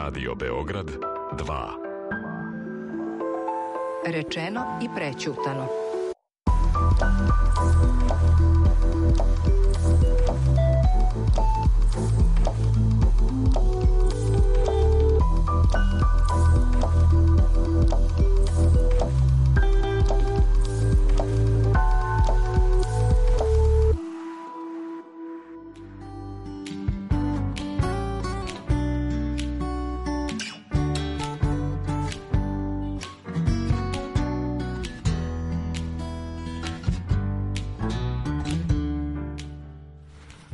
Radio Beograd 2. Rečeno i prećutano.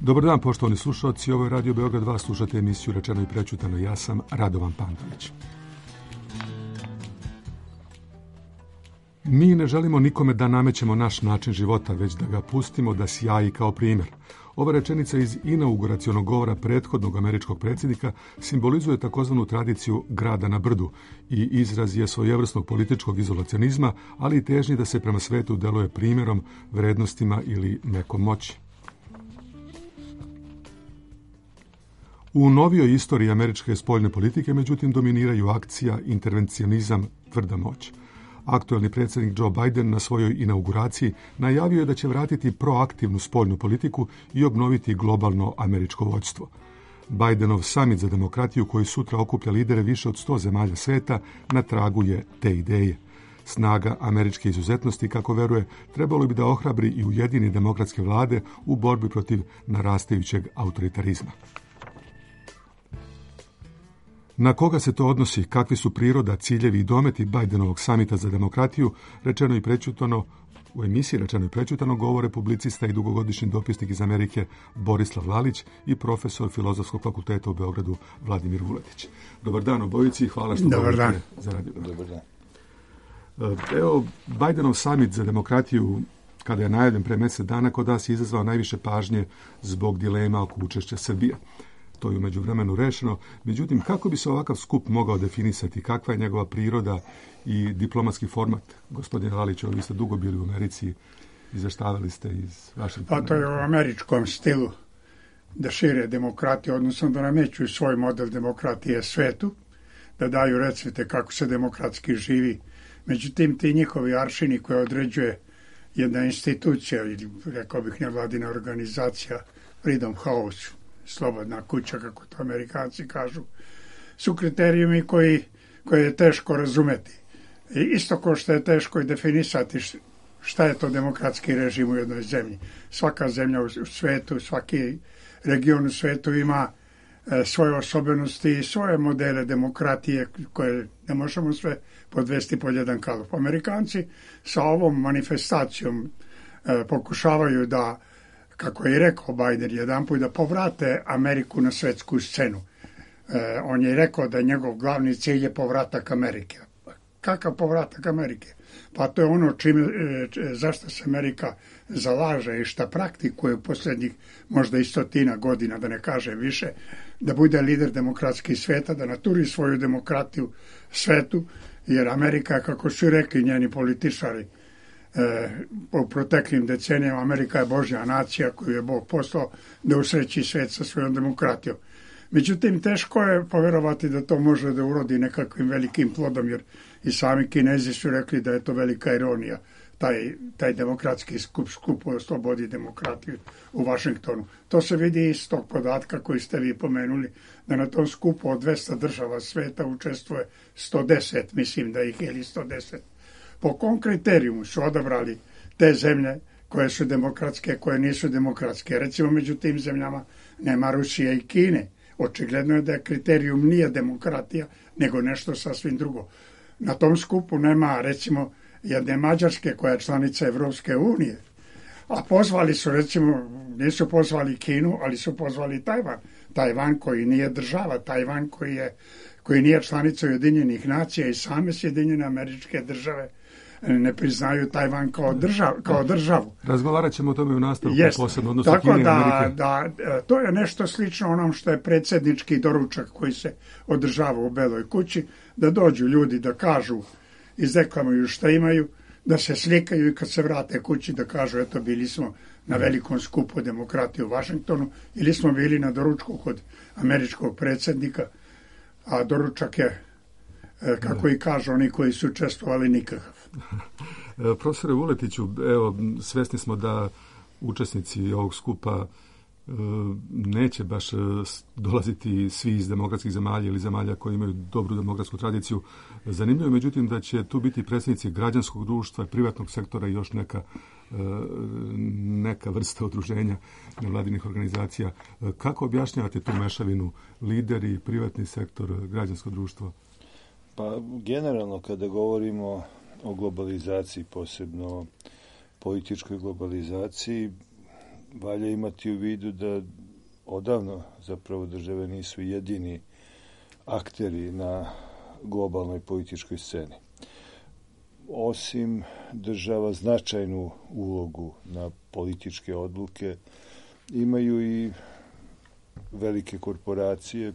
Dobar dan, poštovani slušalci. Ovo je Radio Beograd 2, slušate emisiju Rečeno i prećutano. Ja sam Radovan Pantović. Mi ne želimo nikome da namećemo naš način života, već da ga pustimo da sjaji kao primjer. Ova rečenica iz inauguracionog govora prethodnog američkog predsjednika simbolizuje takozvanu tradiciju grada na brdu i izraz je svojevrsnog političkog izolacionizma, ali i težnji da se prema svetu deluje primjerom, vrednostima ili nekom moći. U novijoj istoriji američke spoljne politike, međutim, dominiraju akcija, intervencionizam, tvrda moć. Aktuelni predsjednik Joe Biden na svojoj inauguraciji najavio je da će vratiti proaktivnu spoljnu politiku i obnoviti globalno američko vođstvo. Bidenov samit za demokratiju, koji sutra okuplja lidere više od 100 zemalja sveta, na tragu je te ideje. Snaga američke izuzetnosti, kako veruje, trebalo bi da ohrabri i ujedini demokratske vlade u borbi protiv narastajućeg autoritarizma. Na koga se to odnosi, kakvi su priroda, ciljevi i dometi Bidenovog samita za demokratiju, rečeno i prećutano, u emisiji Rečeno i prećutano govore publicista i dugogodišnji dopisnik iz Amerike Borislav Lalić i profesor Filozofskog fakulteta u Beogradu Vladimir Vuletić. Dobar dan obojici i hvala što govorite za Radio. Dobar dan. Evo, Bidenov samit za demokratiju, kada je najavljen pre mjesec dana, kod nas je izazvao najviše pažnje zbog dilema oko učešća Srbije. To je u međuvremenu rešeno. Međutim, kako bi se ovakav skup mogao definisati? Kakva je njegova priroda i diplomatski format? Gospodine Lalić, vi ste dugo bili u Americi, izveštavali ste iz Vašingtona. Pa to je u američkom stilu da šire demokratiju, odnosno da namećuju svoj model demokratije svetu, da daju recepte kako se demokratski živi. Međutim, ti njihovi aršini koje određuje jedna institucija, ili rekao bih nevladina organizacija, Freedom House, slobodna kuća, kako to Amerikanci kažu, su kriterijumi koje je teško razumeti. I isto kao što je teško i definisati šta je to demokratski režim u jednoj zemlji. Svaka zemlja u svetu, svaki region u svetu ima svoje osobenosti i svoje modele demokratije koje ne možemo sve podvesti pod jedan kalup. Amerikanci sa ovom manifestacijom pokušavaju da, kako je rekao Biden jedanput, da povrate Ameriku na svetsku scenu. On je rekao da njegov glavni cilj je povratak Amerike. Kakav povratak Amerike? Pa to je ono zašto se Amerika zalaže i šta praktikuje u posljednjih možda i 100 godina, da ne kažem više, da bude lider demokratskih sveta, da naturi svoju demokratiju svetu, jer Amerika, kako su rekli njeni političari, u proteklim decenijama, Amerika je Božja nacija koju je Bog poslao da usreći svet sa svojom demokratijom. Međutim, teško je povjerovati da to može da urodi nekakvim velikim plodom, jer i sami Kinezi su rekli da je to velika ironija, taj demokratski skup o slobodi demokratiju u Vašingtonu. To se vidi iz tog podatka koji ste vi pomenuli, da na tom skupu od 200 država sveta učestvuje 110, mislim da ih je ili 110. Po kom kriterijumu su odabrali te zemlje koje su demokratske, koje nisu demokratske? Recimo, među tim zemljama nema Rusije i Kine. Očigledno je da kriterijum nije demokratija, nego nešto sasvim drugo. Na tom skupu nema, recimo, jedne Mađarske koja je članica Evropske unije. A pozvali su, recimo, nisu pozvali Kinu, ali su pozvali Tajvan. Tajvan koji nije država, Tajvan koji nije članica Ujedinjenih nacija i same Sjedinjene Američke Države ne priznaju Tajvan kao državu. Razgovarat ćemo o tome u nastavku, posebno odnosu Kine i Amerike. To je nešto slično onom što je predsjednički doručak koji se održava u Beloj kući, da dođu ljudi da kažu, izdeklamuju šta imaju, da se slikaju i kad se vrate kući da kažu eto bili smo na velikom skupu demokratije u Vašingtonu ili smo bili na doručku kod američkog predsjednika. a doručak je, kako i kažu oni koji su učestvovali, nikakav. Profesore Vuletiću, evo, svesni smo da učesnici ovog skupa neće baš dolaziti svi iz demokratskih zemalja ili zemalja koji imaju dobru demokratsku tradiciju. Zanimljivo je, međutim, da će tu biti predstavnici građanskog društva, privatnog sektora i još neka vrsta udruženja nevladinih organizacija. Kako objašnjavate tu mešavinu, lideri, privatni sektor, građansko društvo? Pa generalno kada govorimo o globalizaciji, posebno političkoj globalizaciji, valja imati u vidu da odavno zapravo države nisu jedini akteri na globalnoj političkoj sceni. Osim država značajnu ulogu na političke odluke, imaju i velike korporacije,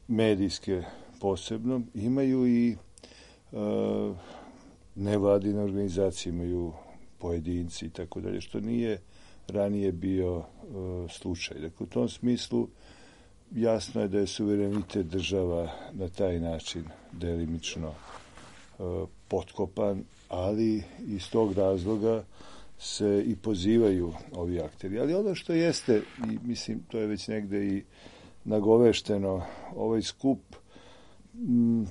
medijske posebno, imaju i nevladine organizacije, imaju pojedinci i tako dalje, što nije ranije bio slučaj. Dakle, u tom smislu jasno je da je suverenitet država na taj način delimično potkopan, ali iz tog razloga se i pozivaju ovi akteri. Ali ono što jeste, i mislim to je već negde i nagovešteno, ovaj skup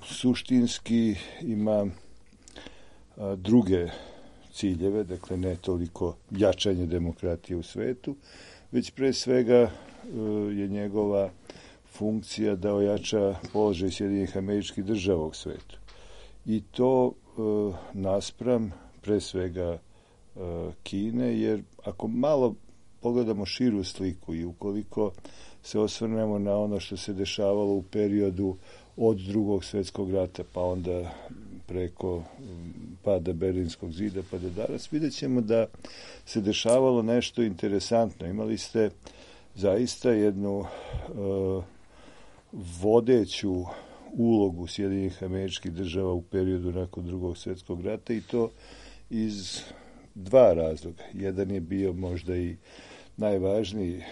suštinski ima druge ciljeve, dakle ne toliko jačanje demokratije u svetu, već pre svega je njegova funkcija da ojača položaj Sjedinjenih Američkih Država u svetu. I to naspram pre svega Kine, jer ako malo pogledamo širu sliku i ukoliko se osvrnemo na ono što se dešavalo u periodu od Drugog svjetskog rata, pa onda preko pada Berlinskog zida pa do danas, vidjet ćemo da se dešavalo nešto interesantno. Imali ste zaista jednu vodeću ulogu Sjedinjenih Američkih Država u periodu nakon Drugog svjetskog rata, i to iz dva razloga. Jedan je bio možda i najvažniji.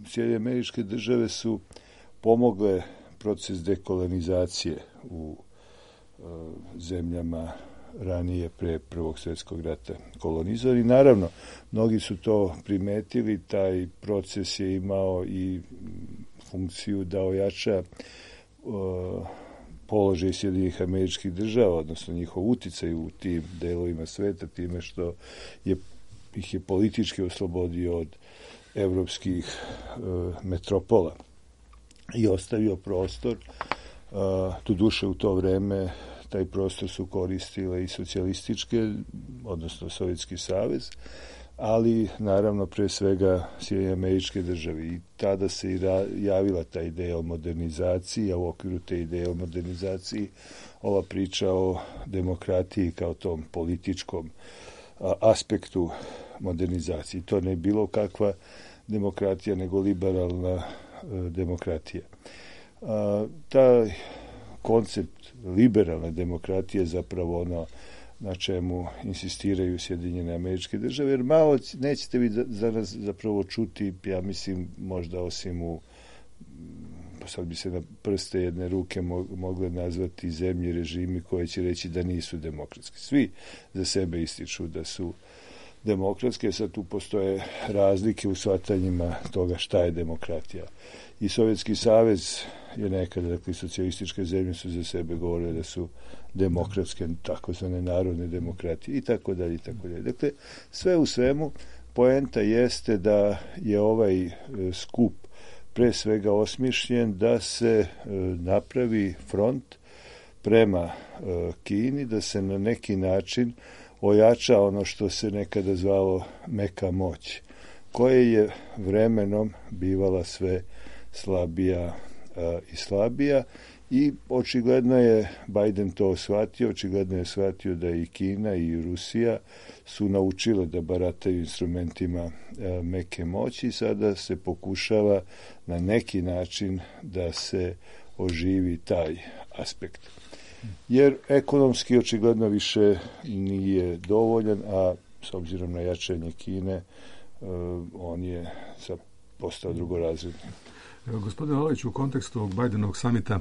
Sjedinjene Američke Države su pomogle proces dekolonizacije u zemljama ranije pre Prvog svjetskog rata kolonizovani. Naravno, mnogi su to primetili, taj proces je imao i funkciju da ojača položaj Sjedinjenih Američkih Država, odnosno njihov uticaj u tim delovima sveta, time što ih je politički oslobodio od evropskih metropola i ostavio prostor. Doduše u to vreme taj prostor su koristile i socijalističke, odnosno Sovjetski savez, ali naravno pre svega Sjedinjene Američke Države. I tada se i javila ta ideja o modernizaciji, a u okviru te ideje o modernizaciji ova priča o demokratiji kao tom političkom aspektu modernizacije. To ne je bilo kakva demokratija, nego liberalna demokratija. Taj koncept liberalne demokratije je zapravo ono na čemu insistiraju Sjedinjene Američke Države, jer malo nećete vi za nas zapravo čuti, ja mislim, možda osim pa sad bi se na prste jedne ruke mogle nazvati zemlje, režimi koje će reći da nisu demokratski. Svi za sebe ističu da su demokratske, sad tu postoje razlike u shvatanjima toga šta je demokratija. I Sovjetski savez je nekada, dakle, socijalističke zemlje su za sebe govorile da su demokratske, takozvane narodne demokratije i tako dalje, i tako dalje. Dakle, sve u svemu, poenta jeste da je ovaj skup pre svega osmišljen da se napravi front prema Kini, da se na neki način ojača ono što se nekada zvalo meka moć, koje je vremenom bivala sve slabija i slabija, i očigledno je Biden to shvatio, očigledno je shvatio da i Kina i Rusija su naučile da barataju instrumentima meke moći, i sada se pokušava na neki način da se oživi taj aspekt. Jer ekonomski očigledno više nije dovoljan, a s obzirom na jačanje Kine, on je postao drugorazredni. Gospodine Olović, u kontekstu ovog Bidenovog samita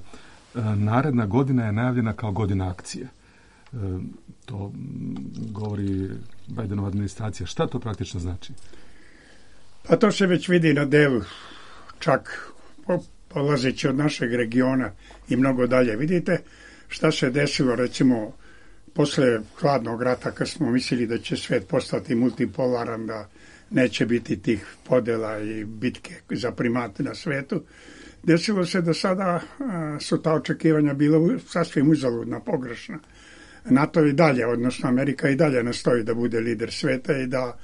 naredna godina je najavljena kao godina akcije. To govori Bidenova administracija. Šta to praktično znači? Pa to se već vidi na delu, čak polazeći od našeg regiona i mnogo dalje. Vidite šta se desilo, recimo, posle hladnog rata, kad smo mislili da će svet postati multipolaran, da neće biti tih podela i bitke za primate na svetu. Desilo se da sada su ta očekivanja bila sasvim uzaludna, pogrešna. NATO i dalje, odnosno Amerika i dalje nastoji da bude lider sveta i da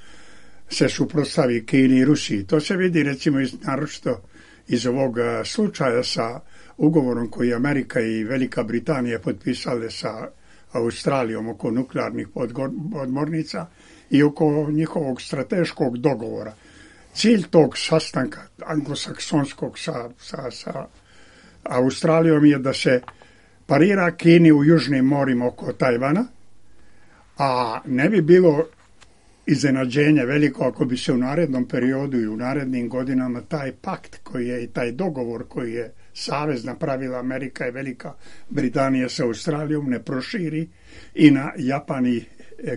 se suprotstavi Kini i Rusiji. To se vidi recimo naročito iz ovog slučaja sa ugovorom koji Amerika i Velika Britanija potpisale sa Australijom oko nuklearnih podmornica i oko njihovog strateškog dogovora. Cilj tog sastanka anglosaksonskog sa Australijom je da se parira Kini u južnim morima oko Tajvana, a ne bi bilo iznenađenje veliko ako bi se u narednom periodu i u narednim godinama taj pakt koji je i taj dogovor koji je savez napravila Amerika i Velika Britanija sa Australijom ne proširi i na Japan i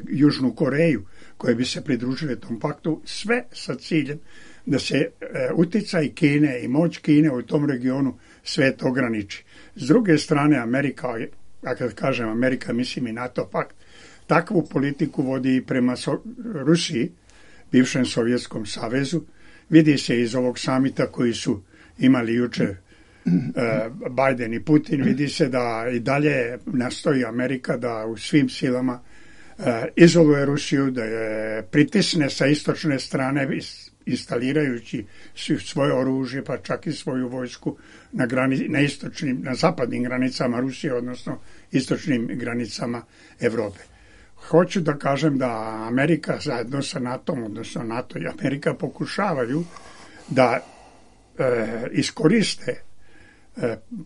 Južnu Koreju koje bi se pridružile tom paktu, sve sa ciljem da se uticaj Kine i moć Kine u tom regionu svet ograniči. S druge strane, Amerika, a kad kažem Amerika, mislim i NATO pakt, takvu politiku vodi i prema Rusiji, bivšem Sovjetskom savezu. Vidi se iz ovog samita koji su imali juče Biden i Putin, vidi se da i dalje nastoji Amerika da u svim silama izoluje Rusiju, da je pritisne sa istočne strane, instalirajući svoje oružje, pa čak i svoju vojsku na zapadnim granicama Rusije, odnosno istočnim granicama Evrope. Hoću da kažem da Amerika zajedno sa NATO-om, odnosno NATO i Amerika pokušavaju da iskoriste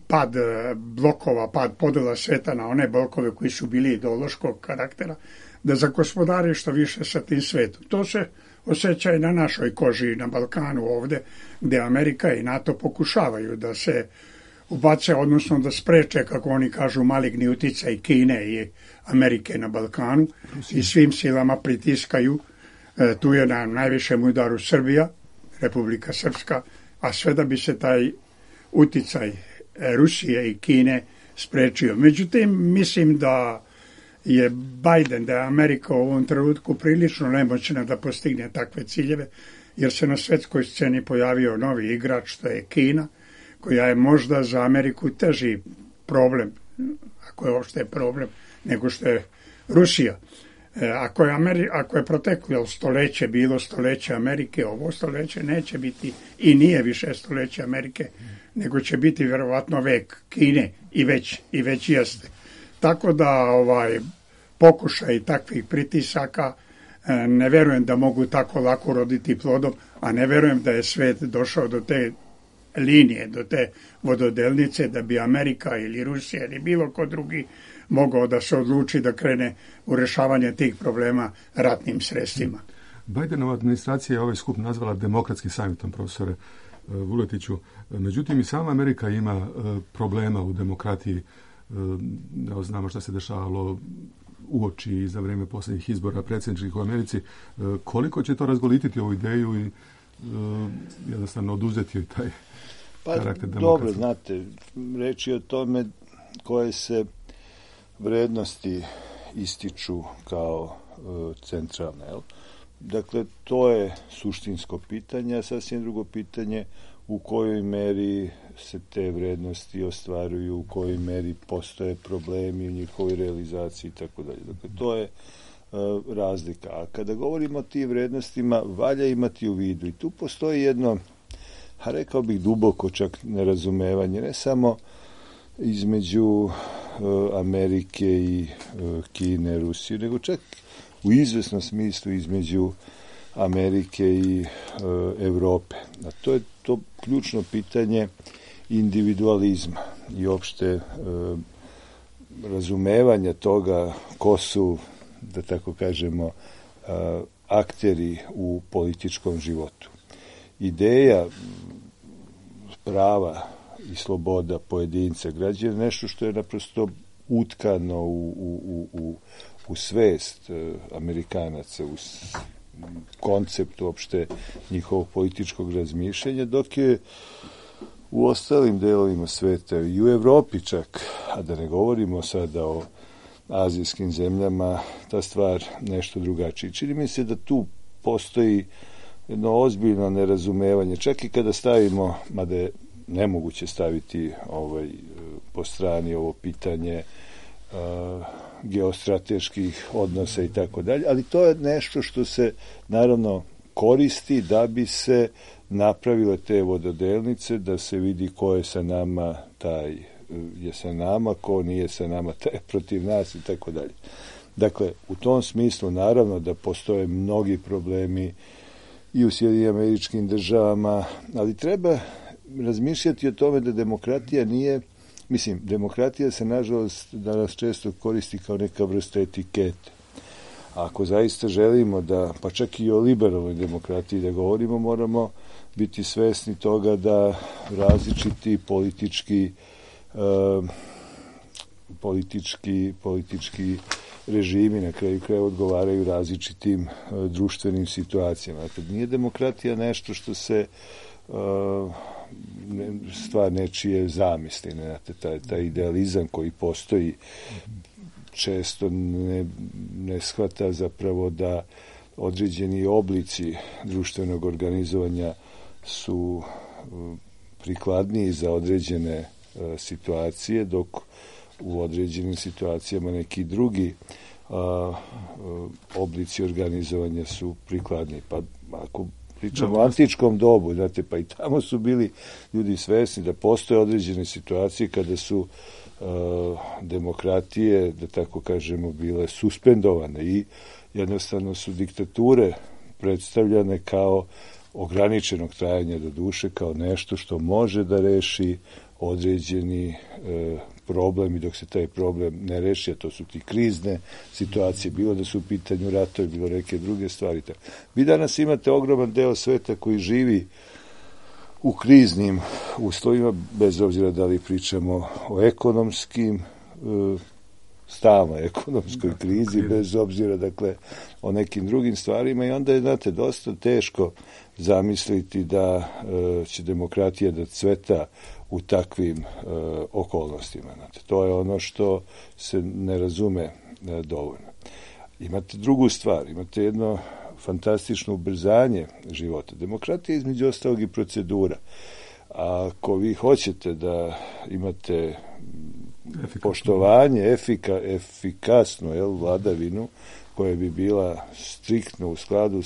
pad blokova, pad podela sveta na one blokove koji su bili ideološkog karaktera, da zagospodare što više sa tim svetom. To se osjeća i na našoj koži, na Balkanu ovde, gde Amerika i NATO pokušavaju da se ubace, odnosno da spreče, kako oni kažu, maligni uticaj Kine i Amerike na Balkanu i svim silama pritiskaju. Tu je na najvišem udaru Srbija, Republika Srpska, a sve da bi se taj uticaj Rusije i Kine sprečio. Međutim, mislim da je Biden, da je Amerika u ovom trenutku prilično nemoćna da postigne takve ciljeve, jer se na svetskoj sceni pojavio novi igrač, to je Kina, koja je možda za Ameriku teži problem, ako je uopšte problem, nego što je Rusija. Ako je proteklo stoljeće bilo stoljeće Amerike, ovo stoljeće neće biti i nije više stoljeće Amerike, nego će biti vjerovatno vek Kine i već jeste. Tako da pokušaj takvih pritisaka ne verujem da mogu tako lako roditi plodom, a ne verujem da je svet došao do te linije, do te vododelnice da bi Amerika ili Rusija ili bilo ko drugi mogao da se odluči da krene u rešavanje tih problema ratnim sredstvima. Bidenova administracija je ovaj skup nazvala demokratskim samitom, profesore Vuletiću. Međutim, i sama Amerika ima problema u demokratiji. Znamo što se dešavalo uoči i za vrijeme posljednjih izbora predsjedničkih u Americi. Koliko će to razgolititi ovu ideju i jednostavno oduzeti taj karakter demokracije? Dobro, znate, reč je o tome koje se vrednosti ističu kao centralne. Dakle, to je suštinsko pitanje, a sasvim drugo pitanje u kojoj meri se te vrednosti ostvaruju, u kojoj meri postoje problemi u njihovoj realizaciji i tako dalje. Dakle, to je razlika. A kada govorimo o tim vrednostima, valja imati u vidu. I tu postoji jedno, rekao bih duboko čak nerazumevanje, ne samo između Amerike i Kine, Rusije, nego čak u izvesnom smislu između Amerike i Evrope. A to je to ključno pitanje individualizma i opšte razumevanja toga ko su, da tako kažemo, akteri u političkom životu. Ideja prava i sloboda pojedinca građana, nešto što je naprosto utkano u svest Amerikanaca, u koncept uopšte njihovog političkog razmišljanja, dok je u ostalim delovima sveta i u Evropi čak, a da ne govorimo sada o azijskim zemljama, ta stvar nešto drugačija. Čini mi se da tu postoji jedno ozbiljno nerazumevanje, čak i kada stavimo, mada je nemoguće staviti po strani ovo pitanje geostrateških odnosa i tako dalje, ali to je nešto što se naravno koristi da bi se napravile te vododelnice, da se vidi ko je sa nama, taj je sa nama, ko nije sa nama, taj je protiv nas i tako dalje. Dakle, u tom smislu naravno da postoje mnogi problemi i u Sjedinjenim Američkim Državama, ali treba razmišljati o tome da demokratija nije, demokratija se nažalost danas često koristi kao neka vrsta etikete. Ako zaista želimo da, pa čak i o liberalnoj demokratiji da govorimo, moramo biti svesni toga da različiti politički režimi na kraju kraja odgovaraju različitim društvenim situacijama. Dakle, nije demokratija nešto što se stvar nečije zamisli, taj idealizam koji postoji često ne shvata zapravo da određeni oblici društvenog organizovanja su prikladniji za određene situacije, dok u određenim situacijama neki drugi oblici organizovanja su prikladniji. Pa ako pričamo o antičkom dobu, znate, pa i tamo su bili ljudi svesni da postoje određene situacije kada su demokratije, da tako kažemo, bile suspendovane i jednostavno su diktature predstavljane kao ograničenog trajanja do duše, kao nešto što može da reši određeni problem i dok se taj problem ne reši, a to su ti krizne situacije, bilo da su u pitanju ratovi, bilo neke druge stvari. Vi danas imate ogroman deo sveta koji živi u kriznim uslovima, bez obzira da li pričamo o ekonomskim, stalnoj ekonomskoj krizi, bez obzira, dakle, o nekim drugim stvarima i onda je, znate, dosta teško zamisliti da će demokratija da cveta u takvim okolnostima. Znate, to je ono što se ne razume dovoljno. Imate drugu stvar, imate jedno fantastično ubrzanje života. Demokratija je između ostalog i procedura. Ako vi hoćete da imate poštovanje, efikasnu vladavinu koja bi bila striktno u skladu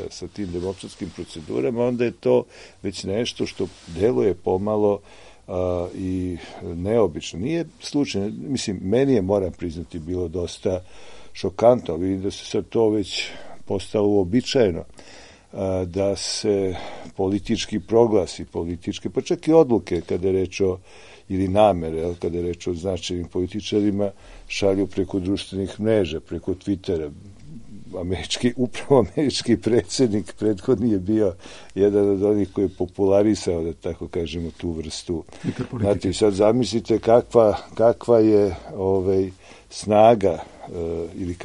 sa tim demokratskim procedurama, onda je to već nešto što deluje pomalo i neobično. Nije slučajno, meni je, moram priznati, bilo dosta šokantno, ali vidim da se sad to već postalo uobičajeno, da se politički proglasi, pa čak i odluke kada je reč o, ili namere, kada je reč o značajnim političarima, šalju preko društvenih mreža, preko Twittera. Upravo američki predsjednik prethodni je bio jedan od onih koji je popularisao, da tako kažemo, tu vrstu. Znate, sad zamislite kakva je snaga ili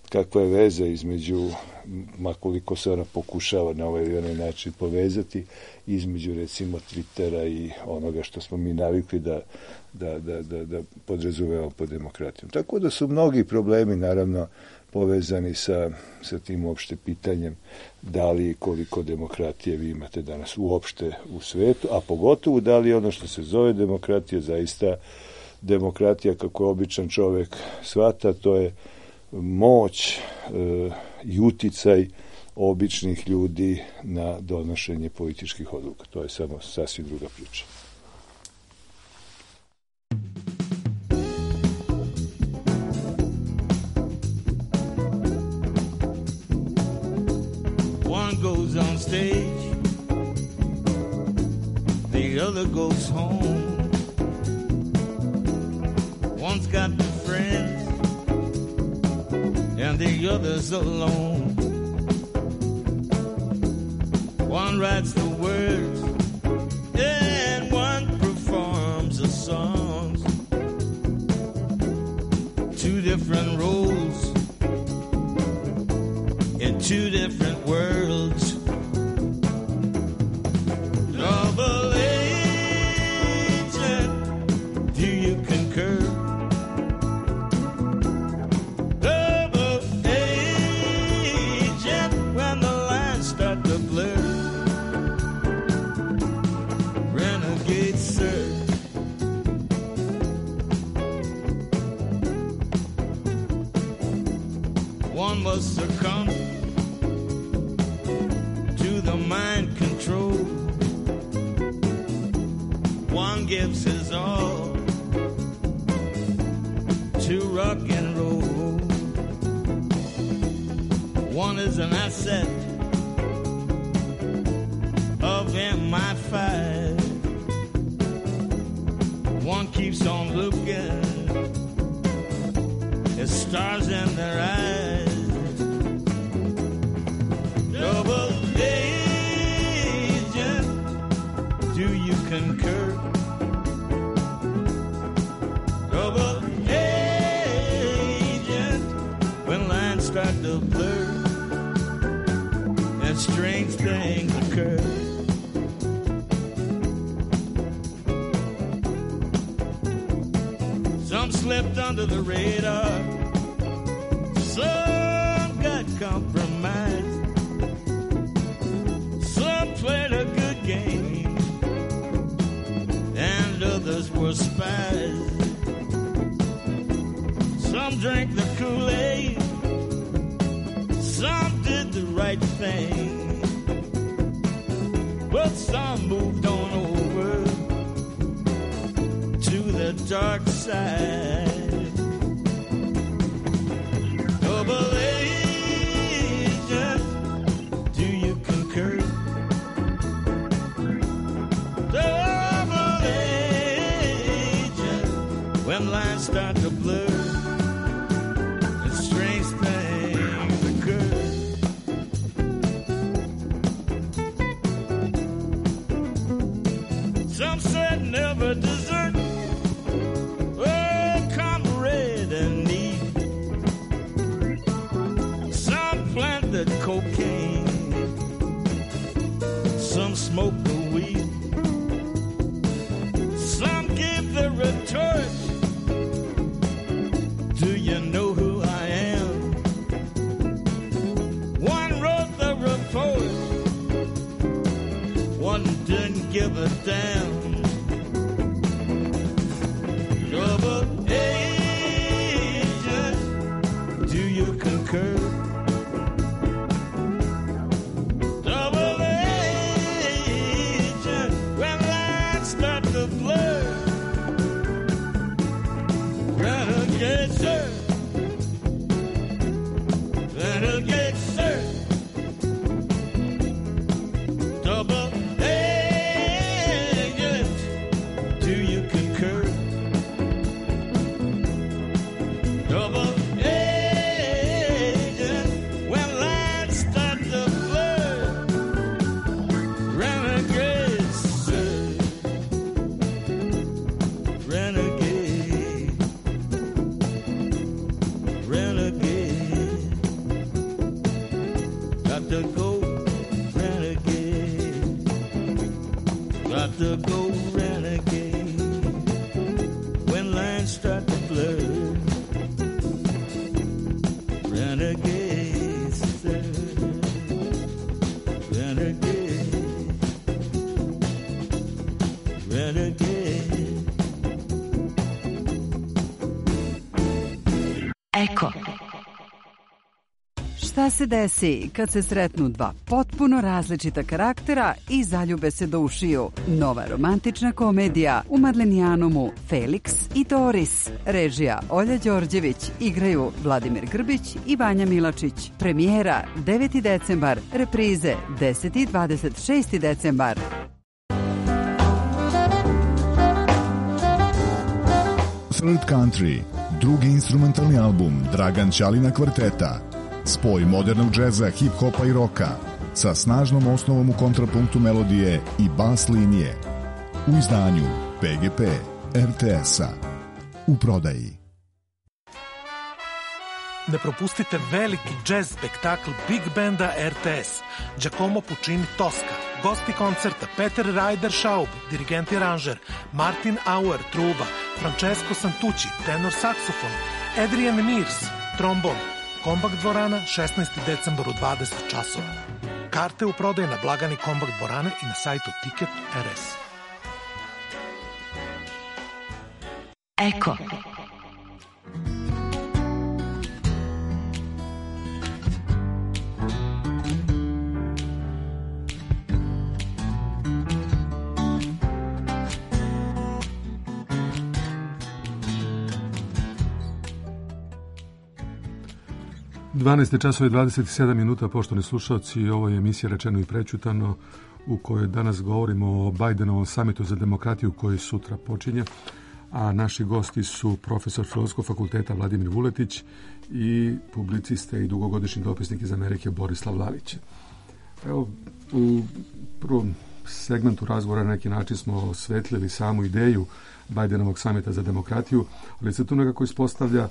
kakva je veza između, makoliko se ona pokušava na ovaj ili onaj način povezati, između recimo Twittera i onoga što smo mi navikli da podrazumevamo pod demokratijom. Tako da su mnogi problemi naravno povezani sa tim uopšte pitanjem da li i koliko demokratije vi imate danas uopšte u svetu, a pogotovo da li ono što se zove demokratija zaista demokratija kako je običan čovek shvata, to je moć i uticaj običnih ljudi na donošenje političkih odluka. To je samo sasvim druga priča. One goes on stage, the other goes home. One's got friends, and the other's alone. One writes the words, and one different roles in two different worlds. Double agent, do you concur? Double agent, when the lines start to blur. Renegade, sir. One must succumb to the mind control. One gives his all to rock and roll. One is an asset of MI5. One keeps on looking at stars in their eyes. Double agent, do you concur? Double agent, when lines start to blur and strange things occur. Some slipped under the radar, some got compromised. Played a good game, and others were spies. Some drank the Kool-Aid, some did the right thing, but some moved on over to the dark side. Double agent, do you concur? When lines start to blur and strange things occur. Some said never desert a comrade in need. Some planted cocaine, some smoked the weed. Some gave the retort, do you know who I am? One wrote the report, one didn't give a damn. Double agent, do you concur? Double agent, when lines start to blur. Renegade, sir. Renegade, sir. Double agent, do you concur? Double agent, when lines start to blur. Renegade, sir. Renegade. Renegade, got to go renegade, got to go renegade, when lines start to blur. Renegade, sir. Renegade, renegade. Eko. Šta se desi kad se sretnu dva potpuno različita karaktera i zaljube se do ušiju? Nova romantična komedija u Madlenijanumu Felix i Doris. Režija Olja Đorđević, igraju Vladimir Grbić i Vanja Milačić. Premijera 9. decembar, reprize 10. i 26. decembar. Third Country, drugi instrumentalni album Dragan Ćalina kvarteta. Spoj modernog džeza, hip-hopa i roka sa snažnom osnovom u kontrapunktu melodije i bas linije. U izdanju PGP RTS-a. U prodaji. Ne propustite veliki jazz spektakl Big Banda RTS, Giacomo Puccini Tosca, gosti koncerta Peter Ryder Schaub, dirigent i aranžer, Martin Auer, truba, Francesco Santucci, tenor saksofon, Adrian Mears, trombon, Kombakt dvorana, 16. decembar u 20 časova. Karte u prodaju na blagani Kombakt dvorane i na sajtu Ticket.rs. Eko. časova i 27 minuta, poštovani slušalci, ovo je emisija Rečeno i prećutano u kojoj danas govorimo o Bidenovom samitu za demokratiju koji sutra počinje, a naši gosti su profesor Filozofskog fakulteta Vladimir Vuletić i publicista i dugogodišnji dopisnik iz Amerike Borislav Lalić. Evo, u prvom segmentu razgovora na neki način smo osvetlili samu ideju Bidenovog samita za demokratiju, ali se tu nekako ispostavlja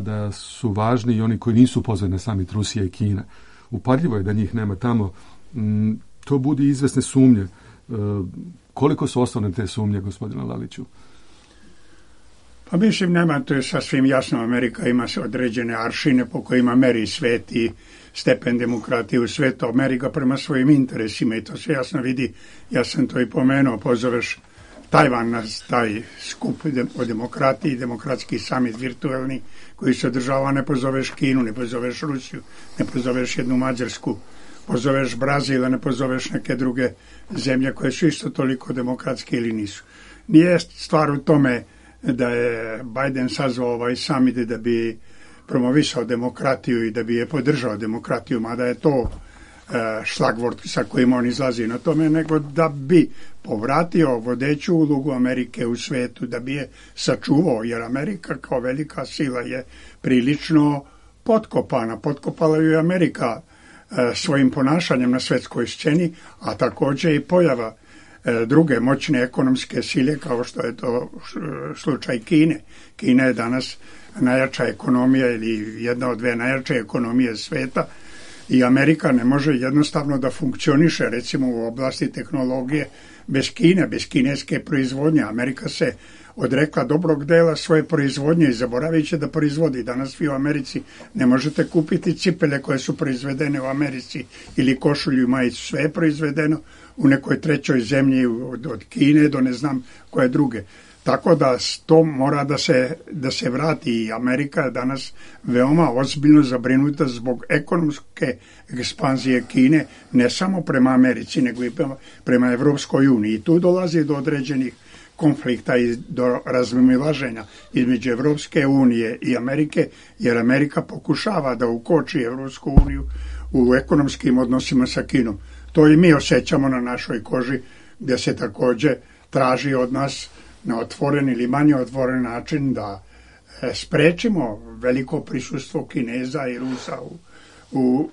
da su važni i oni koji nisu pozvani na samit, Rusija i Kina. Upadljivo je da njih nema tamo. To budi izvesne sumnje. Koliko su osnovne te sumnje, gospodine Laliću? Pa mislim, nema, to je sasvim jasno. Amerika ima određene aršine po kojima meri svet i stepen demokratije u svetu. Amerika prema svojim interesima i to se jasno vidi. Ja sam to i pomenuo, pozoveš Tajvan na taj skup o demokratiji, demokratski samit virtualni koji se održava, ne pozoveš Kinu, ne pozoveš Rusiju, ne pozoveš jednu Mađarsku, pozoveš Brazil, ne pozoveš neke druge zemlje koje su isto toliko demokratske ili nisu. Nije stvar u tome da je Biden sazvao ovaj samit da bi promovisao demokratiju i da bi je podržao demokratiju, mada je to šlagvort sa kojim on izlazi na tome, nego da bi povratio vodeću ulogu Amerike u svetu, da bi je sačuvao, jer Amerika kao velika sila je prilično potkopana. Potkopala ju je Amerika svojim ponašanjem na svetskoj sceni, a također i pojava druge moćne ekonomske sile kao što je to slučaj Kine. Kina je danas najjača ekonomija ili jedna od dve najjače ekonomije sveta i Amerika ne može jednostavno da funkcioniše recimo u oblasti tehnologije bez Kine, bez kineske proizvodnje. Amerika se odrekla dobrog dela svoje proizvodnje i zaboravit će da proizvodi. Danas vi u Americi ne možete kupiti cipele koje su proizvedene u Americi ili košulju i majicu. Sve je proizvedeno u nekoj trećoj zemlji od Kine do ne znam koje druge. Tako da to mora da se vrati i Amerika je danas veoma ozbiljno zabrinuta zbog ekonomske ekspanzije Kine, ne samo prema Americi, nego i prema Evropskoj uniji. I tu dolazi do određenih konflikta i do razmimoilaženja između Evropske unije i Amerike, jer Amerika pokušava da ukoči Evropsku uniju u ekonomskim odnosima sa Kinom. To i mi osjećamo na našoj koži, gdje se također traži od nas na otvoren ili manje otvoren način da sprečimo veliko prisustvo Kineza i Rusa u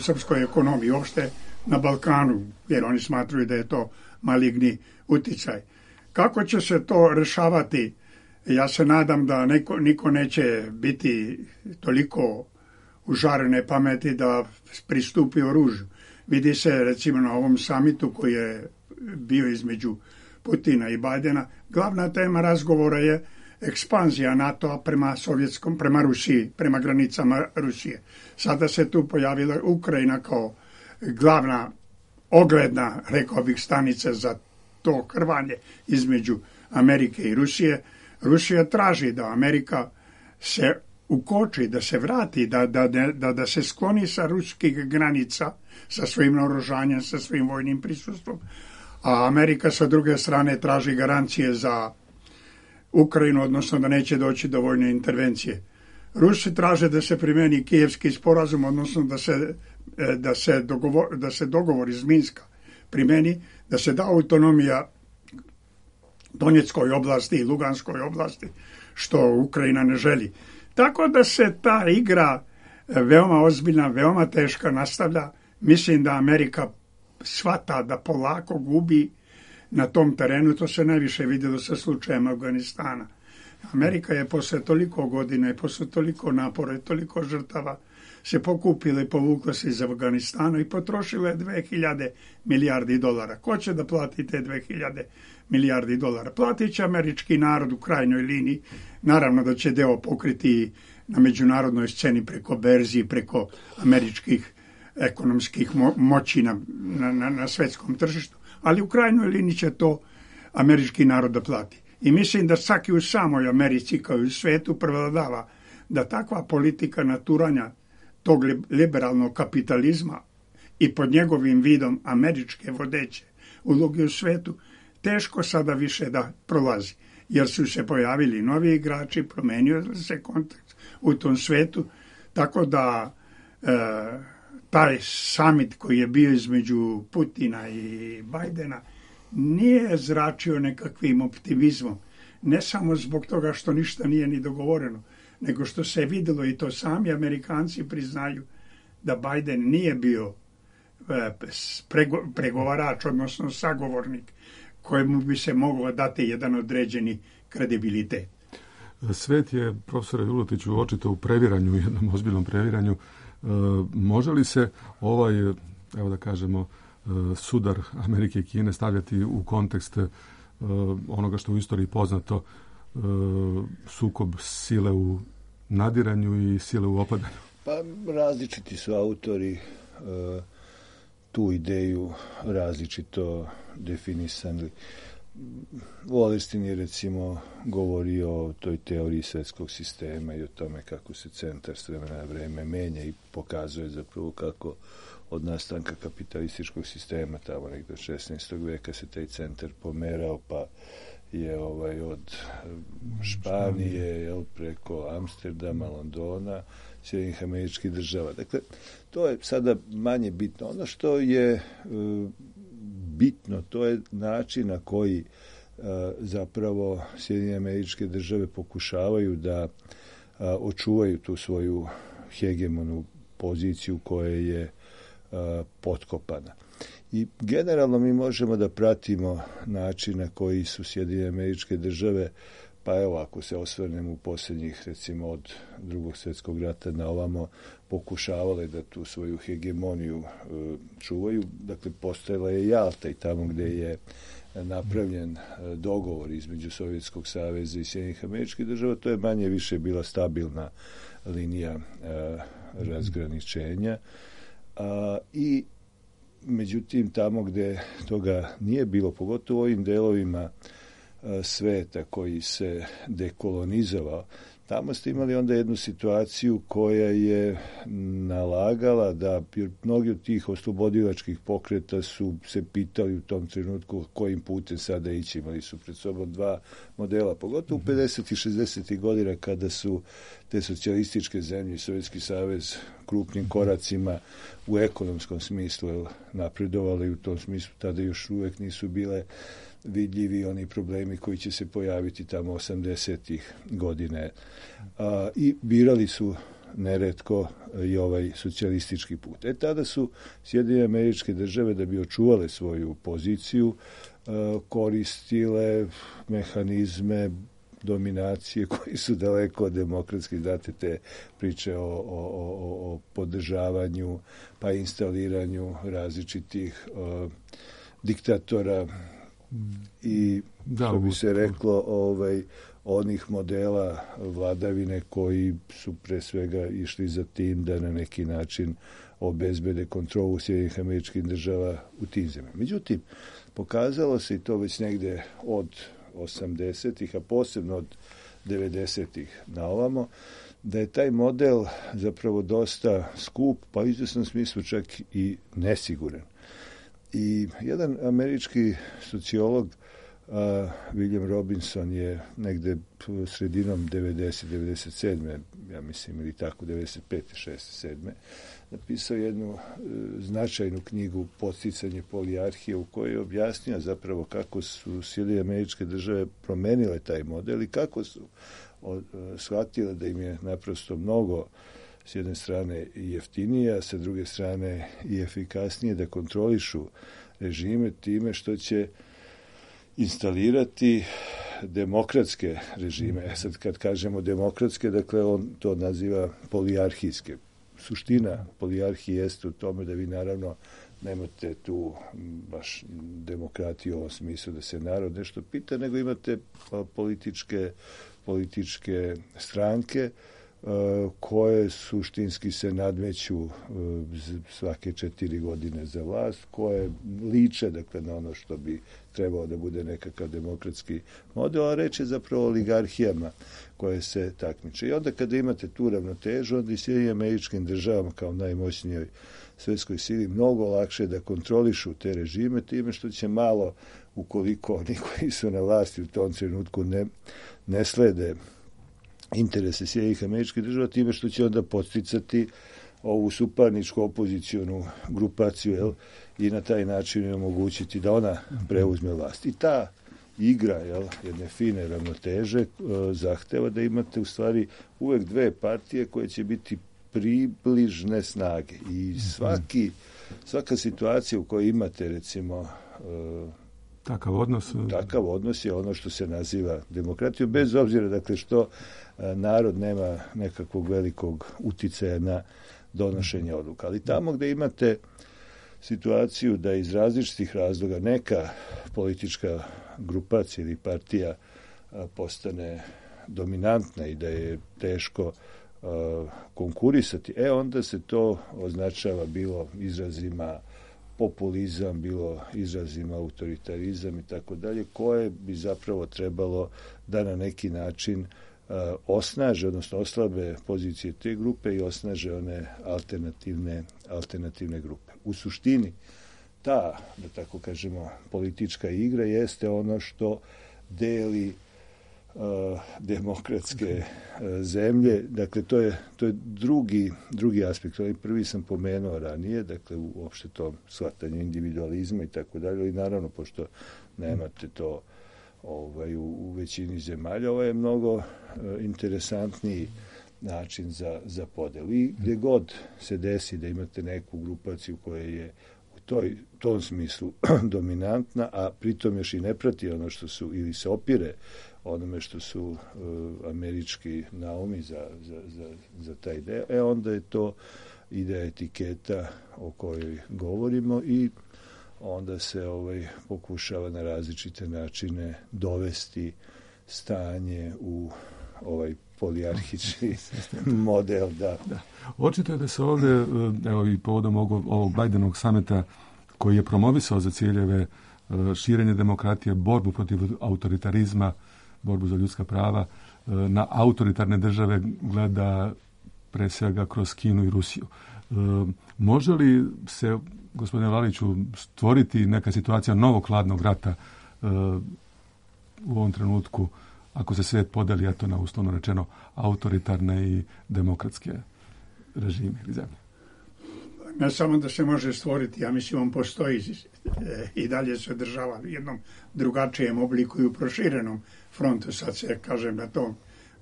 srpskoj ekonomiji, uopšte na Balkanu, jer oni smatruju da je to maligni uticaj. Kako će se to rešavati? Ja se nadam da niko neće biti toliko užarene pameti da pristupi oružju. Vidi se recimo na ovom samitu koji je bio između Putina i Bidena, glavna tema razgovora je ekspanzija NATO-a prema Rusiji, prema granicama Rusije. Sada se tu pojavila Ukrajina kao glavna ogledna, rekao bih, stanica za to krvanje između Amerike i Rusije. Rusija traži da Amerika se ukoči, da se vrati, da se skloni sa ruskih granica, sa svojim naoružanjem, sa svojim vojnim prisustvom, a Amerika sa druge strane traži garancije za Ukrajinu, odnosno da neće doći do vojne intervencije. Rusi traže da se primeni Kijevski sporazum, odnosno da se dogovor iz Minska primeni, da se da autonomija Donjeckoj oblasti i Luganskoj oblasti, što Ukrajina ne želi. Tako da se ta igra veoma ozbiljna, veoma teška nastavlja. Mislim da Amerika shvata da polako gubi na tom terenu. To se najviše vidjelo sa slučajem Afganistana. Amerika je posle toliko godina i posle toliko napora i toliko žrtava se pokupila i povukla se iz Afganistana i potrošila je 2000 milijardi dolara. Ko će da plati te 2000 milijardi dolara? Platit će američki narod u krajnjoj liniji. Naravno da će deo pokriti na međunarodnoj sceni preko berzi, preko američkih ekonomskih moći na svetskom tržištu, ali u krajnjoj liniji će to američki narod da plati. I mislim da čak i u samoj Americi kao i u svetu prevladava da takva politika naturanja tog liberalnog kapitalizma i pod njegovim vidom američke vodeće uloge u svetu teško sada više da prolazi, jer su se pojavili novi igrači, promenio se kontekst u tom svetu, tako da taj summit koji je bio između Putina i Bajdena nije zračio nekakvim optimizmom, ne samo zbog toga što ništa nije ni dogovoreno, nego što se videlo i to sami Amerikanci priznaju da Bajden nije bio pregovarač, odnosno sagovornik kojemu bi se moglo dati jedan određeni kredibilitet. Svet je, profesore Vuletiću, očito u previranju, jednom ozbiljnom previranju. Može li se evo da kažemo, sudar Amerike i Kine stavljati u kontekst onoga što u istoriji poznato, sukob sile u nadiranju i sile u opadanju? Pa različiti su autori tu ideju različito definisali. Wallerstein je recimo govorio o toj teoriji svetskog sistema i o tome kako se centar s vremena na vreme menja i pokazuje zapravo kako od nastanka kapitalističkog sistema tamo negdje od 16. veka se taj centar pomerao, pa je od Španije preko Amsterdama, Londona, Sjedinjenih Američkih Država. Dakle, to je sada manje bitno. Ono što je bitno, to je način na koji zapravo Sjedinjene Američke Države pokušavaju da očuvaju tu svoju hegemonu poziciju koja je potkopana. I generalno mi možemo da pratimo način na koji su Sjedinjene Američke Države, pa evo ako se osvrnemo u posljednjih recimo od Drugog svjetskog rata na ovamo, pokušavale da tu svoju hegemoniju čuvaju. Dakle, postojala je Jalta i tamo gde je napravljen dogovor između Sovjetskog saveza i Sjedinjenih Američkih Država, to je manje više bila stabilna linija razgraničenja. I međutim, tamo gde toga nije bilo, pogotovo u ovim delovima sveta koji se dekolonizovao, tamo ste imali onda jednu situaciju koja je nalagala da mnogi od tih oslobodilačkih pokreta su se pitali u tom trenutku kojim putem sada ići. Imali su pred sobom dva modela, pogotovo u 50. i 60. godina kada su te socijalističke zemlje i Sovjetski savez krupnim koracima u ekonomskom smislu napredovali. U tom smislu tada još uvek nisu bile vidljivi oni problemi koji će se pojaviti tamo 80-ih godine. I birali su neretko i ovaj socijalistički put. Tada su Sjedinjene Američke Države, da bi očuvale svoju poziciju, koristile mehanizme dominacije koji su daleko od demokratskih, date te priče o podržavanju pa instaliranju različitih diktatora i što bi se reklo onih modela vladavine koji su pre svega išli za tim da na neki način obezbede kontrolu Sjedinjenih Američkih Država u tim zemljama. Međutim, pokazalo se i to već negde od 80-ih, a posebno od 90-ih na ovamo, da je taj model zapravo dosta skup, pa u izvesnom smislu čak i nesiguran. I jedan američki sociolog, William Robinson, je negde sredinom 97. ja mislim, ili tako, 95. 6. 7. napisao jednu značajnu knjigu Podsticanje polijarhije, u kojoj je objasnio zapravo kako su Sjedinjene Američke Države promenile taj model i kako su shvatile da im je naprosto mnogo s jedne strane i jeftinije, a sa druge strane i efikasnije da kontrolišu režime time što će instalirati demokratske režime. Sad kad kažemo demokratske, dakle on to naziva polijarhijske. Suština polijarhije jeste u tome da vi naravno nemate tu baš demokratiju u ovom smislu da se narod nešto pita, nego imate političke stranke koje suštinski se nadmeću svake 4 godine za vlast, koje liče dakle, na ono što bi trebao da bude nekakav demokratski model, a reč je zapravo o oligarhijama koje se takmiče. I onda kada imate tu ravnotežu, onda i Sjedinjenim Američkim Državama kao najmoćnijoj svetskoj sili mnogo lakše da kontrolišu te režime time što će malo, ukoliko oni koji su na vlasti u tom trenutku ne slede interese Sjedinjenih Američkih Država, time što će onda podsticati ovu suparničku opozicionu grupaciju i na taj način omogućiti da ona preuzme vlast. I ta igra jedne fine ravnoteže zahteva da imate u stvari uvek dve partije koje će biti približne snage. I svaka situacija u kojoj imate recimo takav odnos je ono što se naziva demokratijom, bez obzira dakle što narod nema nekakvog velikog uticaja na donošenje odluka. Ali tamo gde imate situaciju da iz različitih razloga neka politička grupacija ili partija postane dominantna i da je teško konkurisati, onda se to označava bilo izrazima populizam, bilo izrazima autoritarizam i tako dalje, koje bi zapravo trebalo da na neki način osnaže, odnosno oslabe pozicije te grupe i osnaže one alternativne grupe. U suštini ta, da tako kažemo, politička igra jeste ono što deli demokratske zemlje. Dakle, to je drugi aspekt. Ovaj prvi sam pomenuo ranije, dakle, uopšte to shvatanje individualizma i tako dalje, i naravno, pošto nemate to u većini zemalja, ovo je mnogo interesantniji način za podelu. I gdje god se desi da imate neku grupaciju koja je u tom smislu dominantna, a pritom još i ne prati ono što su, ili se opire onome što su američki naumi za taj ideja, onda je to ideja etiketa o kojoj govorimo i onda se pokušava na različite načine dovesti stanje u ovaj polijarhični model. Da. Očito je da se ovdje, evo i povodom ovog Bajdenovog sameta koji je promovisao za ciljeve širenje demokratije, borbu protiv autoritarizma, borbu za ljudska prava, na autoritarne države gleda pre svega kroz Kinu i Rusiju. Može li se, gospodine Laliću, stvoriti neka situacija novog hladnog rata u ovom trenutku, ako se svijet podeli, a to na uslovno rečeno autoritarne i demokratske režime ili zemlje? Ne samo da se može stvoriti, ja mislim on postoji i dalje se održava u jednom drugačijem obliku i u proširenom frontu. Sad se, kažem,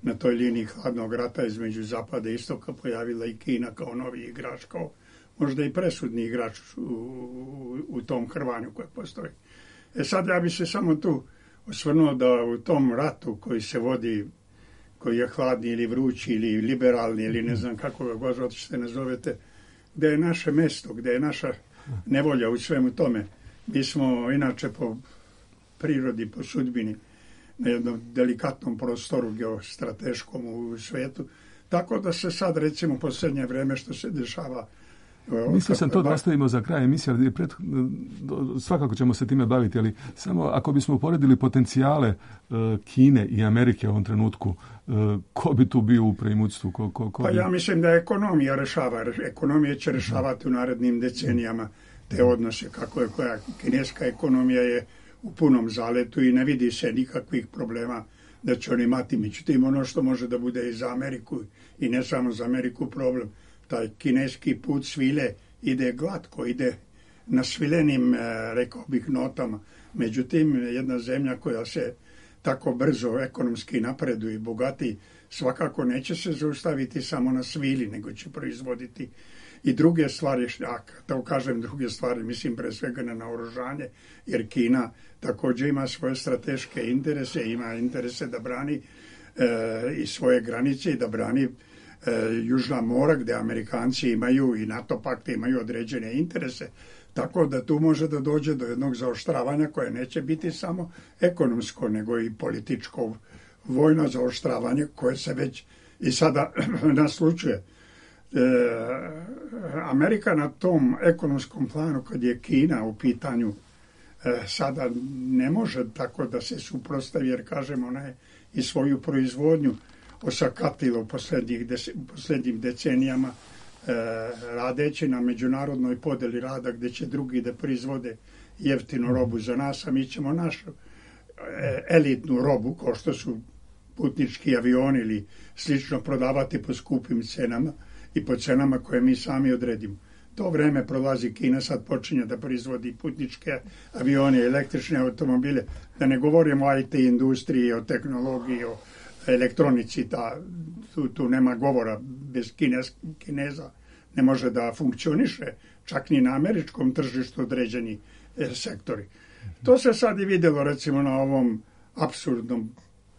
na toj liniji hladnog rata između zapada i istoka pojavila i Kina kao novi igrač, kao možda i presudni igrač u tom hrvanju koje postoji. Sad ja bi se samo tu osvrnuo da u tom ratu koji se vodi, koji je hladni ili vrući ili liberalni ili ne znam kako ga god hoćete nazovete, gde je naše mesto, gde je naša nevolja u svemu tome. Mi smo inače po prirodi, po sudbini na jednom delikatnom prostoru geostrateškom u svetu, tako da se sad recimo posljednje vreme što se dešava. Mislio sam to da ostavimo za kraj emisije, ali svakako ćemo se time baviti, ali samo ako bismo uporedili potencijale Kine i Amerike u ovom trenutku, ko bi tu bio u preimutstvu? Pa ja mislim da ekonomija rešava. Ekonomija će rešavati u narednim decenijama te odnose, kako je koja kineska ekonomija je u punom zaletu i ne vidi se nikakvih problema da će oni imati. Međutim, ono što može da bude i za Ameriku i ne samo za Ameriku problem, taj kineski put svile ide glatko, ide na svilenim, rekao bih, notama. Međutim, jedna zemlja koja se tako brzo ekonomski napreduje i bogati, svakako neće se zaustaviti samo na svili, nego će proizvoditi i druge stvari, da kažem druge stvari, mislim pre svega na naoružanje, jer Kina također ima svoje strateške interese, ima interese da brani i svoje granice i da brani Južna mora, gdje Amerikanci imaju i NATO pakte imaju određene interese, tako da tu može da dođe do jednog zaoštravanja koje neće biti samo ekonomsko, nego i političko, vojno zaoštravanje koje se već i sada naslučuje. Amerika na tom ekonomskom planu, kad je Kina u pitanju, sada ne može tako da se suprotstavi, jer kažemo ona je i svoju proizvodnju osakatila u posljednjim decenijama, radeći na međunarodnoj podeli rada gdje će drugi da proizvode jeftinu robu za nas, a mi ćemo našu elitnu robu, kao što su putnički avioni ili slično, prodavati po skupim cenama i po cenama koje mi sami odredimo. To vreme prolazi, Kina sad počinje da proizvodi putničke avione, električne automobile, da ne govorimo o IT industriji, o tehnologiji, o elektronici, tu nema govora, bez Kineza ne može da funkcioniše, čak ni na američkom tržištu određeni sektori. To se sad i vidjelo recimo na ovom apsurdnom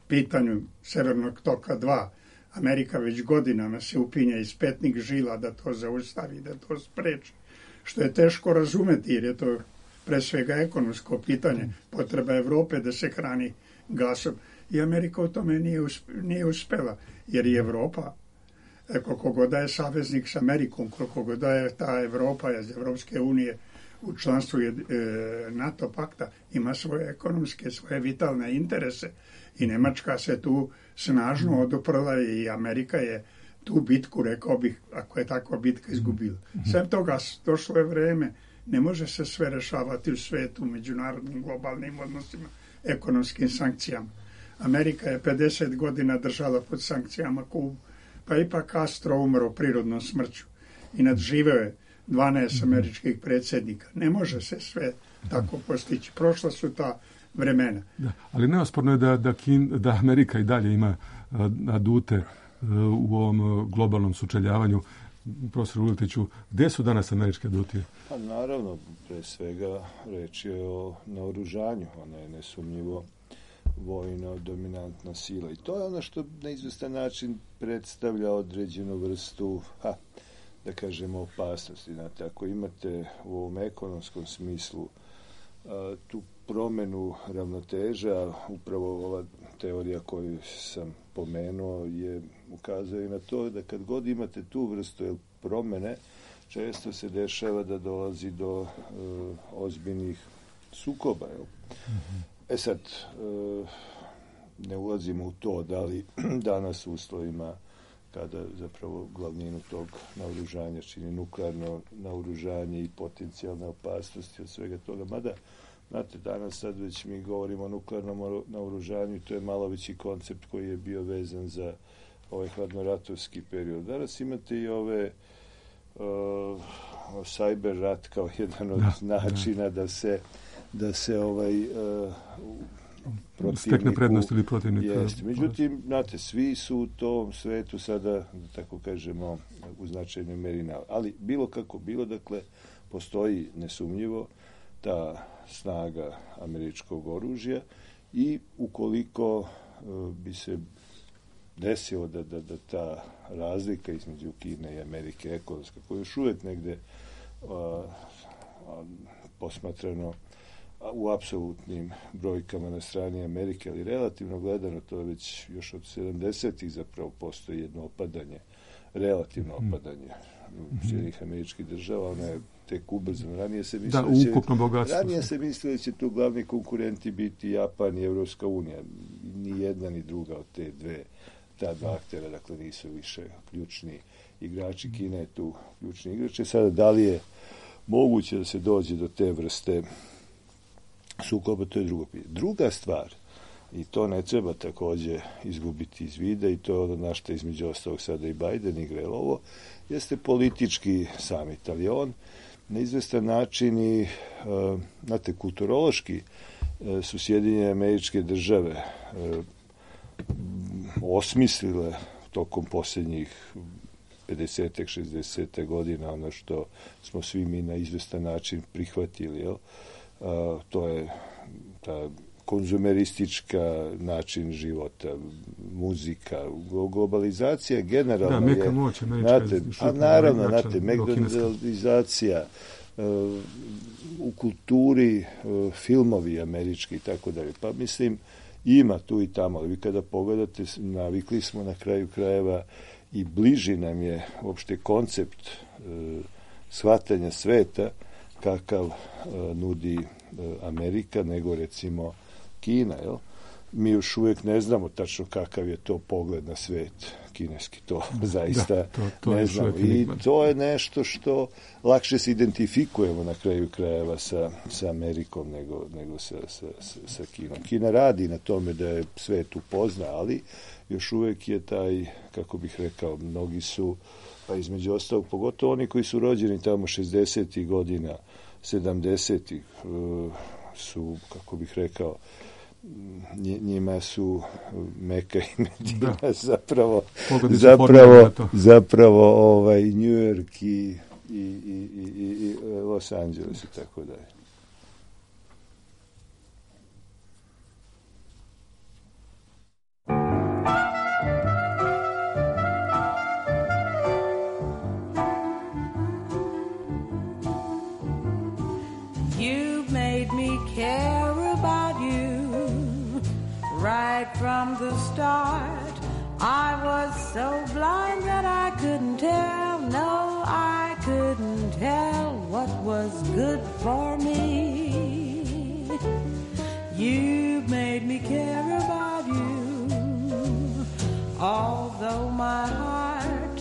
pitanju Severnog toka 2. Amerika već godinama se upinja iz petnih žila da to zaustavi, da to spreči, što je teško razumeti jer je to pre svega ekonomsko pitanje, potreba Evrope da se hrani gasom. I Amerika u tome nije uspela, jer i Evropa, koliko god je saveznik s Amerikom, koliko god je ta Evropa iz Evropske unije u članstvu NATO pakta, ima svoje ekonomske, svoje vitalne interese i Nemačka se tu snažno oduprla i Amerika je tu bitku, rekao bih, ako je takva bitka, izgubila. Sve toga došlo je vreme, ne može se sve rešavati u svetu, međunarodnim globalnim odnosima, ekonomskim sankcijama. Amerika je 50 godina držala pod sankcijama Kubu, pa ipak Castro umro prirodnom smrću i nadživeo je 12 američkih predsjednika. Ne može se sve tako postići. Prošla su ta vremena. Da, ali neosporno je da Amerika i dalje ima adute u ovom globalnom sučeljavanju. Profesor Vuletiću, gdje su danas američke adute? Pa naravno, pre svega reč je o naoružanju. Ona je nesumnjivo vojno dominantna sila. I to je ono što na izvestan način predstavlja određenu vrstu, da kažemo, opasnosti. Znate, ako imate u ovom ekonomskom smislu tu promjenu ravnoteža, upravo ova teorija koju sam pomenuo ukazuje na to da kad god imate tu vrstu promjene, često se dešava da dolazi do ozbiljnih sukoba. Sad, ne ulazimo u to da li danas u uslovima kada zapravo glavninu tog naoružanja čini nuklearno naoružanje i potencijalne opasnosti od svega toga. Mada, znate, danas sad već mi govorimo o nuklearnom naoružanju i to je malo veći koncept koji je bio vezan za ovaj hladnoratovski period. Danas imate i ove cyber rat kao jedan od načina da se stekne prednost ili protivnik. Jeste. Međutim, znate, svi su u tom svetu sada, da tako kažemo, u značajnoj meri ali bilo kako bilo, dakle, postoji nesumnjivo ta snaga američkog oružja i ukoliko bi se desilo da ta razlika između Kine i Amerike ekonomska, koja još uvijek negde posmatrano u apsolutnim brojkama na strani Amerike, ali relativno gledano, to je već još od 70-ih zapravo postoji jedno opadanje, relativno opadanje Sjedinjenih Američkih Država, ona je tek ubrzano. Ranije se mislilo da će tu glavni konkurenti biti Japan i Evropska unija. Ni jedna ni druga od ta dva aktera, dakle, nisu više ključni igrači. Kina je tu ključni igrač. Sada, da li je moguće da se dođe do te vrste sukoba, to je drugo pitanje. Druga stvar, i to ne treba također izgubiti iz vida, i to je ono na što između ostalog sada i Biden igra ovo, jeste politički samit, ali on na izvestan način i, znate, kulturološki su Sjedinjene Američke Države osmislile tokom posljednjih 50-tek, 60 godina ono što smo svi mi na izvestan način prihvatili, jel? To je ta konzumeristička način života, muzika, globalizacija generalno je... meka moć, naravno, McDonaldizacija, u kulturi, filmovi američki i tako dalje. Pa mislim, ima tu i tamo, ali vi kada pogledate, navikli smo na kraju krajeva i bliži nam je uopšte koncept shvatanja sveta kakav nudi Amerika nego recimo Kina, jel? Mi još uvijek ne znamo tačno kakav je to pogled na svet kineski, to zaista to ne znamo. I to je nešto što lakše se identifikujemo na kraju krajeva sa Amerikom nego sa Kinom. Kina radi na tome da je svet upozna, ali još uvijek je taj, kako bih rekao, mnogi su, pa između ostalog, pogotovo oni koji su rođeni tamo 60. godina, 70. su, kako bih rekao, njima su Meka i Medina zapravo New York i Los Angeles i tako dalje. You've made me care about you right from the start. I was so blind that I couldn't tell, no, I couldn't tell what was good for me. You made me care about you, although my heart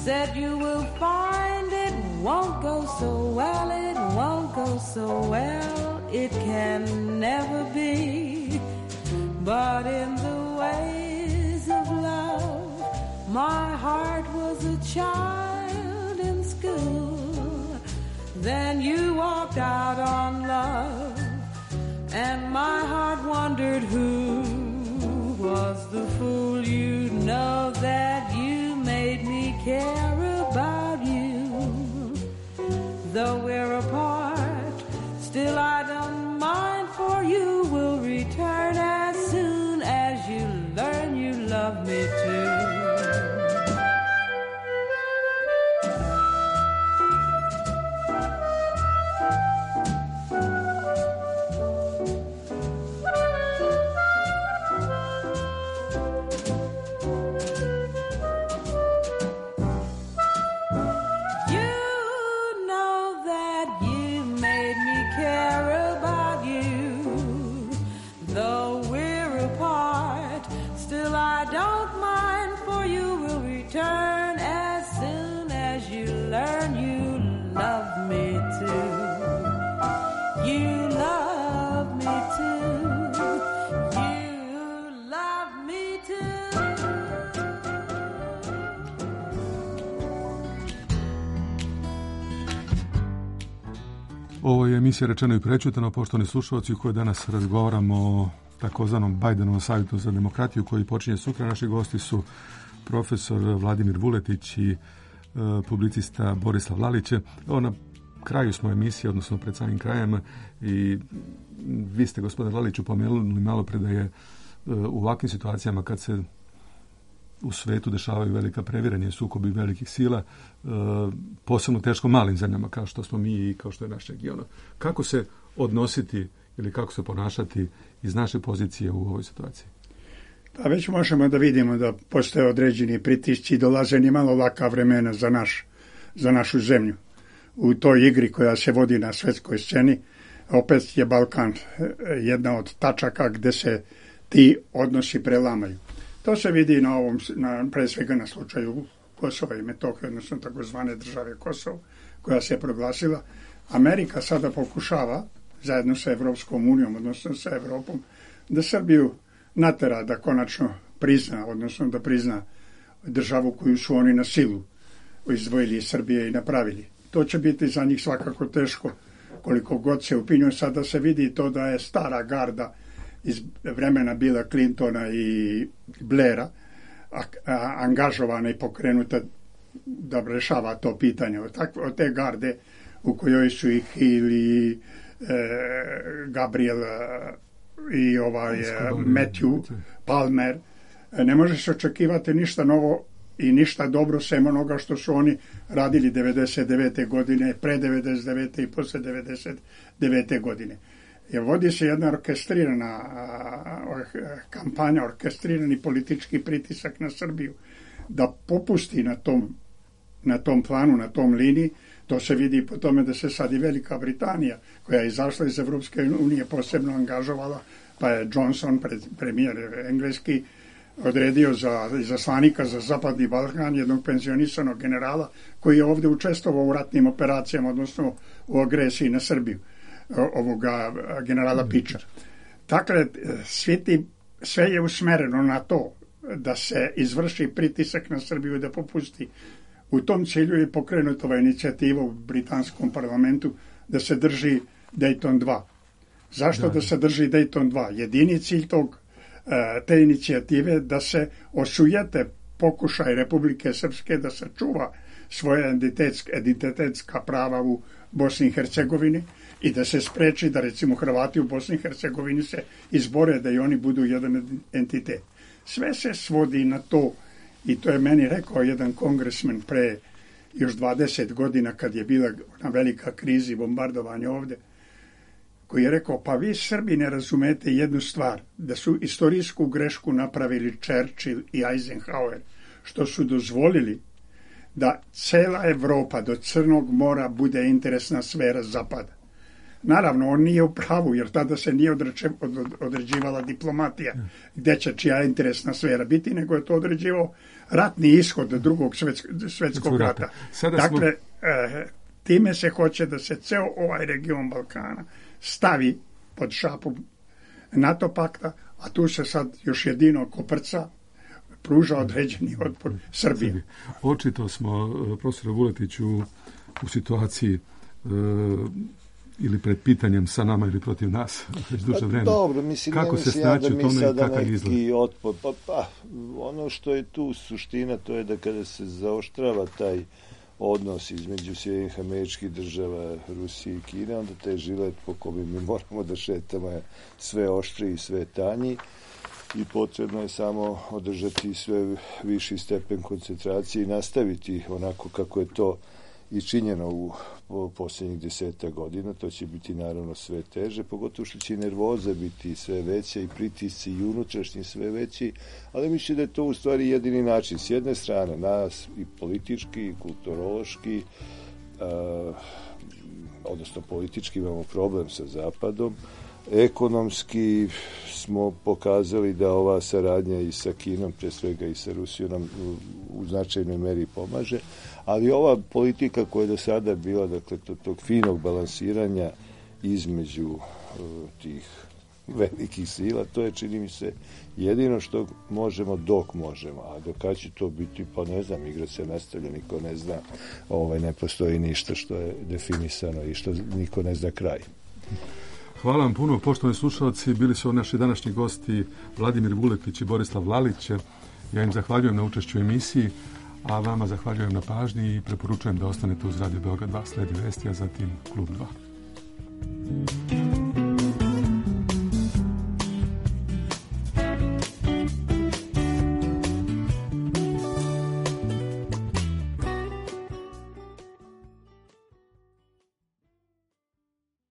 said you will find it won't go so well, it won't go so well, it can never be. But in the ways of love, my heart was a child in school. Then you walked out on love, and my heart wondered who was the fool. You know that you made me care about you. Though we're apart, still I don't mind, for you will return as soon as you learn you love me too. Ovo je emisija Rečeno i prečutano, poštovani slušalci, u kojoj danas razgovaramo o takozvanom Bajdenovom savjetu za demokratiju koji počinje sutra. Naši gosti su profesor Vladimir Vuletić i publicista Borislav Lalić. Na kraju smo emisije, odnosno pred samim krajem, i vi ste, gospodine Laliću, pomenuli malo pre da je u ovakvim situacijama kad se u svetu dešavaju velika previranja i sukobi velikih sila, posebno teško malim zemljama kao što smo mi i kao što je naš region. Kako se odnositi ili kako se ponašati iz naše pozicije u ovoj situaciji? Pa već možemo da vidimo da postoje određeni pritisci i dolaze ni malo laka vremena za našu zemlju. U toj igri koja se vodi na svetskoj sceni, opet je Balkan jedna od tačaka gde se ti odnosi prelamaju. To se vidi pre svega na slučaju Kosova i Metohije, odnosno takozvane države Kosovo, koja se proglasila. Amerika sada pokušava, zajedno sa Evropskom unijom, odnosno sa Evropom, da Srbiju natera da konačno prizna, odnosno da prizna državu koju su oni na silu izdvojili iz Srbije i napravili. To će biti za njih svakako teško, koliko god se upinju. Sada se vidi to da je stara garda iz vremena Billa Clintona i Blaira angažovana i pokrenuta da rešava to pitanje. Od te garde u kojoj su i Hill i Gabriel i Matthew Palmer, ne može se očekivati ništa novo i ništa dobro sem onoga što su oni radili 99. godine, pre 99. i posle 99. godine. Jer vodi se jedna orkestrirana kampanja, orkestrirani politički pritisak na Srbiju da popusti na tom planu, na tom liniji. To se vidi po tome da se sad i Velika Britanija, koja je izašla iz Evropske unije, posebno angažovala, pa je Johnson, premijer engleski, odredio za izaslanika za Zapadni Balkan jednog penzionisanog generala koji je ovdje učestvovao u ratnim operacijama, odnosno u agresiji na Srbiju, ovoga generala Pičar. Dakle, sve je usmereno na to da se izvrši pritisak na Srbiju da popusti. U tom cilju je pokrenuta ova inicijativa u britanskom parlamentu da se drži Dayton 2. Zašto da se drži Dayton 2? Jedini cilj te inicijative da se osujete pokušaj Republike Srpske da sačuva svoje identitetska prava u Bosni i Hercegovini i da se spreči da recimo Hrvati u Bosni i Hercegovini se izbore da i oni budu jedan entitet. Sve se svodi na to, i to je meni rekao jedan kongresmen pre još 20 godina kad je bila na velika krizi, bombardovanje ovde, koji je rekao, pa vi Srbi ne razumete jednu stvar, da su istorijsku grešku napravili Churchill i Eisenhower, što su dozvolili da cela Evropa do Crnog mora bude interesna sfera Zapada. Naravno, on nije u pravu, jer tada se nije određivala diplomatija, gde će čija interesna sfera biti, nego je to određivao ratni ishod drugog svetskog rata. Dakle, time se hoće da se ceo ovaj region Balkana stavi pod šapu NATO pakta, a tu se sad još jedino koprca pruža određeni otpor Srbije. Očito smo, profesor Vuletiću, u situaciji ili pred pitanjem sa nama ili protiv nas već duže vremena. Dobro, mislim, kako se snaći u tome i kakav izgled? Otpor. Ono što je tu suština, to je da kada se zaoštrava taj odnos između Sjedinjenih Američkih Država, Rusije i Kine, onda taj žilet po kome mi moramo da šetamo je sve oštri i sve tanji i potrebno je samo održati sve viši stepen koncentracije i nastaviti onako kako je to i činjeno u posljednjih 10 godina. To će biti naravno sve teže, pogotovo što će i nervoza biti sve veća i pritisci i unutrašnji sve veći, ali mislim da je to u stvari jedini način. S jedne strane nas i politički i kulturološki, odnosno politički imamo problem sa Zapadom, ekonomski smo pokazali da ova saradnja i sa Kinom, pre svega i sa Rusijom, nam u značajnoj meri pomaže, ali ova politika koja je do sada bila, dakle, tog finog balansiranja između tih velikih sila, to je, čini mi se, jedino što možemo dok možemo, a dok će to biti, pa ne znam, igra se nastavlja, niko ne zna, ne postoji ništa što je definisano i što niko ne zna kraj. Hvala vam puno, poštovani slušalci. Bili su naši današnji gosti Vladimir Vuletić i Borislav Lalić. Ja im zahvaljujem na učešću u emisiji, a vama zahvaljujem na pažnji i preporučujem da ostanete uz Radio Beograd 2, sledi vesti, a zatim Klub 2.